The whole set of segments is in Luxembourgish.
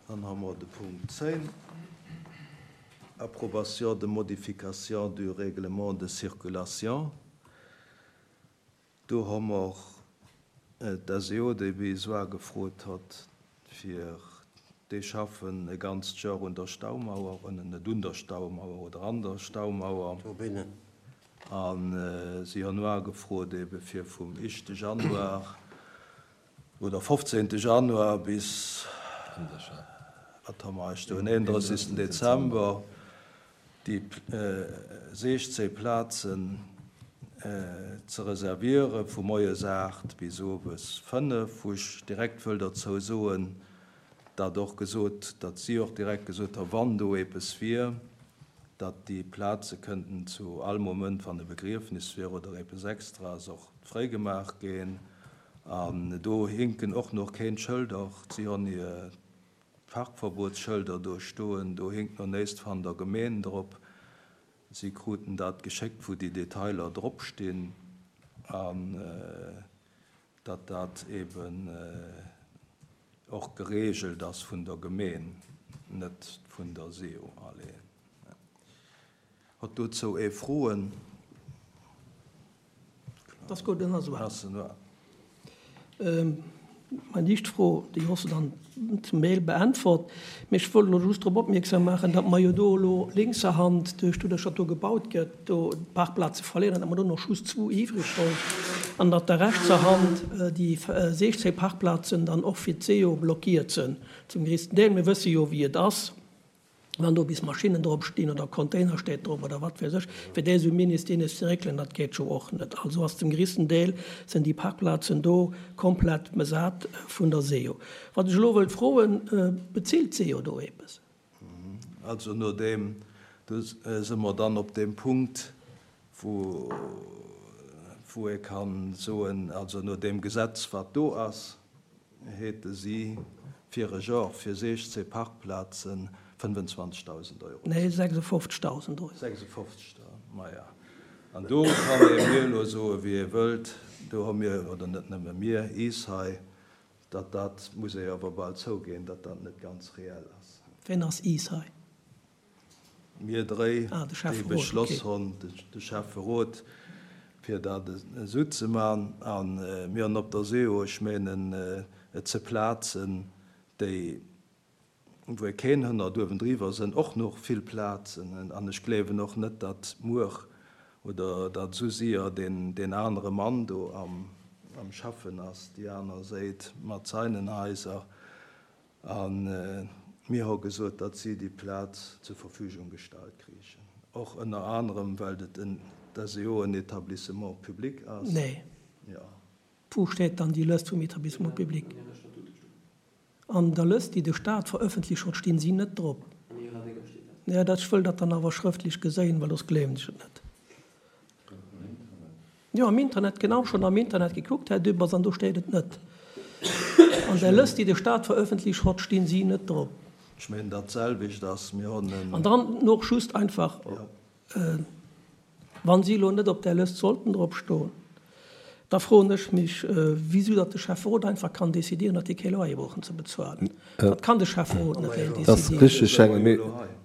Dann hu mer de Punkt 10, Approbation de modification du règlement de circulation. Do hu mer d'SEO, déi Besoin gefrot hott, fir déi schaffen e ganzt Joer un der Staumauer, net un der Staumauer oder an der Staumauer. A si hunn ugefrot ebe fir vum éischte Januar oder fofzehnte Januar bis, wat hu mer eis do, den 31. Dezember déi 16 Plazen ze reserviere vu moies 8 bis owes 5, wou ech direkt wëll derzou soen, datt och gesot, datt si och direkt gesot hu wann do eppes wier, datt déi Plaze kënnten zu all Moment, wann e Begriefnis wier oder eppes Extraes, och fréigemaach ginn. An do hinken och nach keen Schëlder, si hunn hir Parkverbotsschëlder do stoen, do hinkt no néist van der Gemeen drop. Si kruten dat geschéckt, wou déi Detailer drop stinn, an datt dat eben och geregelt ass vun der Gemeen, net vun der SEO. Allez. Hott dozou ee Froen? Ass gutt, dann ass et. Meng éischt Fro, déi hues de dann zum Deel beäntwert, mee ech wollt elo just drop opmierksam maachen, datt mer jo do elo lénkserhand, duerch doduerch datt do gebaut gëtt, do Parkplaze verléieren, datt mer do nach just zwou iwwreg hunn an datt da rechtserhand déi 16 Parkplazen dann och fir d'SEO blockiert sinn zum gréissten Deel. Mir wësse jo wéi et ass. Wann do bis Maschinnen drop stinn oder Container steet drop oder wat weess ech, fir déi esou minis dinis ze réckelen, dat geet jo och net. Also ass zum gréissten Deel sinn déi Parkplazen do komplett besat vun der SEO. Wat ech elo wëllt froen, Bezilt d'SEO do eppes? Also no deem, do si mer dann op deem Punkt, wou wou ee ka soen, also no deem Gesetz wat do ass, Hate si fir e Genre fir 16 Parkplazen 25.000 Euro. Nee, 56.000 Euro. 56, maja. An do kann ee mir elo soe wéi ee wëllt, do hu mir, oder net nëmme mir, is hei, datt dat, muss ee awer bal zouginn, datt dat net ganz reell ass. Ween ass is hei? Mir dréi, déi beschloss hunn, de Schäfferot, fir dat esou ze man. A mir hunn op der SEO, ech menen, et ze Plazen, déi, wou e keen hënnert, uewendriwwer sënn och nach vill Plazen. An ech gleewen och net, datt muer oder datt esou sier deen anere Mann do am Schaffen ass, déi aner Séit mat seinen Haiser. A mir hu gesot, datt si déi Plaz zur Verfügung gestallt kriichen, och ënner anerem, well et en, d'SEO en Établissement public ass. Nee. Jo. Wou steet dann déi Lëst vum Établissement public? An der Lëst, déi de Stat verëffentlicht huet, stinn si net drop. Jo, dat, ech wëll dat dann awer schrëftlech geséien, well soss gleewen ech et net. Jo, am Internet, genau, schonn am Internet gekuckt, Här Dübbers, an do steet et net. An der Lëst, déi de Staat verëffentlicht hott, stinn si net drop. Ech mengen, dat selwecht ass, mir hunn en. An dann och just einfach, wa si elo net op där Lëst sollten drop stoen, da froen ech mech, wisou datt de Schäfferot einfach kann décidieren, datt déi kee Loyer brauchen ze bezuelen. Dat kann de Schäfferot net eleng décidieren. Dat ass richtig, Här Hengen.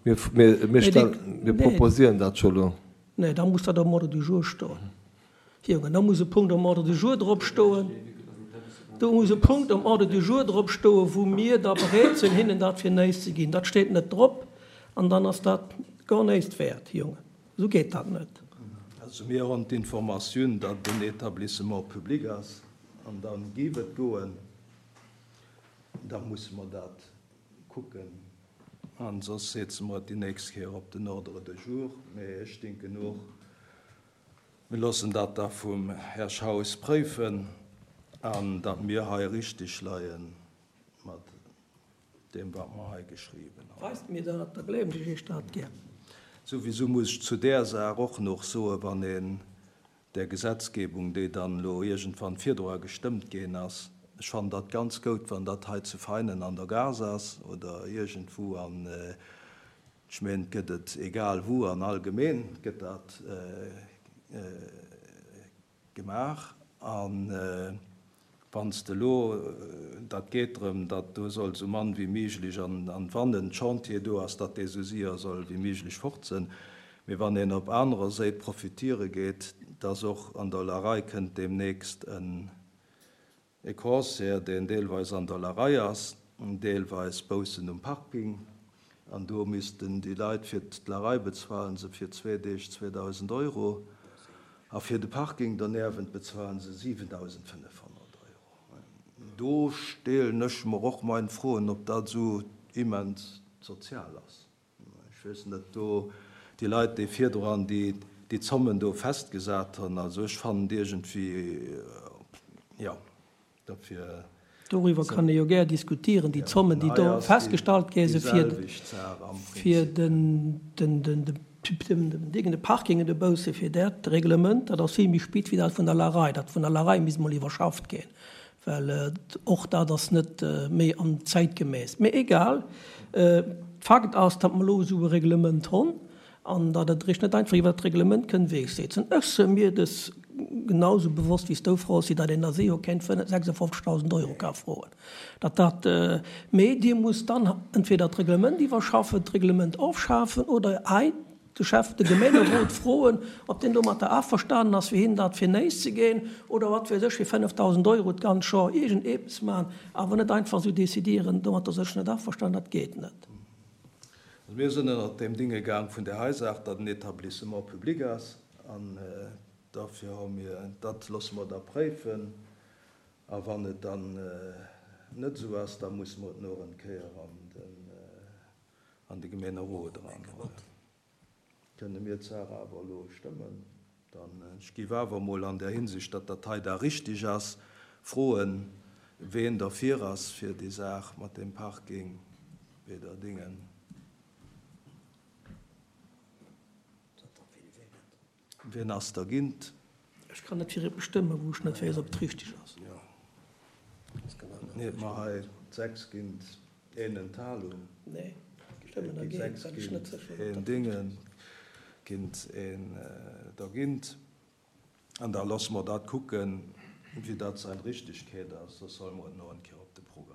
Mir proposieren dat scho elo. Nee, da muss dat am Ordre du jour stoen. Jongen, da muss e Punkt am Ordre du jour drop stoen. Do muss e Punkt am Ordre du jour drop stoen, wou mir da bereet sinn, hinnen dat fir néist ze ginn. Dat steet net drop an dann ass dat gar néist wäert, Jongen. Esou geet dat net. Also mir hunn d'Informatioun, datt et en Établissement public ass an da géif et goen. Da musse mer dat kucken. An soss seetze mer et déi nächst Kéier op den Ordre de jour. Mee ech denken och, mir loossen dat da vum Här Schaus préifen an datt mir hei richtig leie mat deem, wat mer hei geschriwwen hunn. Weist mir dat, da gleewen ech Iech dat gär. Souwisou muss ech zu där Saach och nach soen, wann een där Gesetzgebung, déi dann elo iergendwann virdru gestëmmt ginn ass, ech fannen dat ganz goud, wann dat hei zu Veinen an der Gare ass oder iergendwou an, ech mengen, et gëtt et egal wou an all Gemeen gëtt dat gemaach. An. Wann s de elo, dat geet drëm, datt do soll esou mann wéi méiglech an wann en Chantier do ass, datt dee esou séier soll wéi méiglech fort sënn. Mee wann een op anerer Séit profitiere geet, datt och an der Larei kënnt deemnächst en E Concert, deen deelweis an der Larei ass, deelweis boussen um Parking. An do missten déi Leit fir d'Larei bezuelen se fir zwee Deeg 2.000 Euro a fir de Parking derniewent bezuelen se 7.500 Euro. Do stelen ech mer och mein Froen, ob dat esou immens sozial ass. Ech weess net, do déi Leit, déi virdran déi Zommen do festgesat hunn, also ech fannen et iergendwéi, jo, dofir. Doriwwer kann ee jo gär diskutieren, déi Zommen, déi do festgestallt gi si fir den Ding, de Parking de bousse fir dat Reglement, dat ass vill méi spit wéi dat vun der Larei. Dat vun der Larei misst mol iwwerschafft ginn. Well och dat ass net méi an zäitgemäss. Mee egal, Fakt ass, datt mer elo esou e Reglement honn an datt et eréischt net einfach iwwert d'Reglement kënn wegsetzen. Ech se mir des genau esou bewosst wéi s du, Francis, datt een ASEO kéint 56.000 Euro ka froen, datt dat, mee Dir musst dann entweder d'Reglement iwwerschaffen, d'Reglement ofschafen oder hei de Chef de Gemengerot froen, ob deen domatter averstanen ass, fir hinnen dat fir néis ze ginn, oder wat weess ech, fir 5.000 Euro d'ganz Joer iergend eppes maachen, awer net einfach esou décidieren, domatter sinn ech net averstanen, dat geet net. Also mir sinn ënnert deem Dinge gaang vun där hei Saach, datt en Etablissement public ass, an derfir hu mir, dat loosse mer da préifen, a wann et dann net esou ass, da musse mer et nach eng Kéier an den. An de Gemeenerot eran. Kënne mir d'Saach awer elo stëmmen? Dann, ech géif awer emol an där Hinsicht, datt dat hei da richtig ass, froen, ween derfir ass fir déi Saach mat deem Parking weder Dingen. Wien ass dergint? Ech kann net fir eppes stëmmen, wou ech net weess, ob et richteg ass. Nee, ma hei 6 gint een Enthalung. Nee, ech stëmmen dergéint, well ech net sécher sinn, ob dat richteg ass. Gint een dergint. An da loosse mer dat kucken, wéi dat seng Richtegkeet ass. Soss solle mer et nach eng Kéier op de Programm.